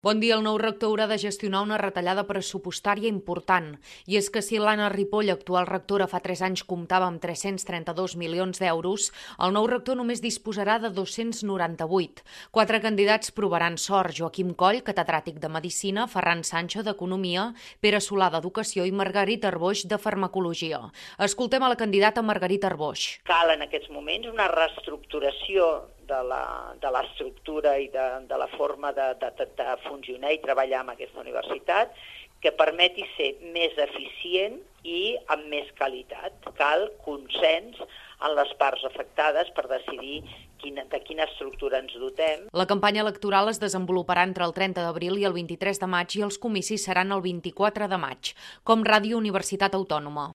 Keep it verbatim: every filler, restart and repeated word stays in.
Bon dia. El nou rector haurà de gestionar una retallada pressupostària important. I és que si l'Anna Ripoll, actual rectora, fa tres anys comptava amb tres-cents trenta-dos milions d'euros, el nou rector només disposarà de dos-cents noranta-vuit. Quatre candidats provaran sort: Joaquim Coll, catedràtic de Medicina, Ferran Sancho, d'Economia, Pere Solà, d'Educació i Margarita Arboix, de Farmacologia. Escoltem a la candidata Margarita Arboix. Cal en aquests moments una reestructuració de la, de l'estructura i de, de la forma de, de, de funcionar i treballar amb aquesta universitat que permeti ser més eficient i amb més qualitat. Cal consens en les parts afectades per decidir quina, de quina estructura ens dotem. La campanya electoral es desenvoluparà entre el trenta d'abril i el vint-i-tres de maig i els comicis seran el vint-i-quatre de maig. Com Ràdio Universitat Autònoma.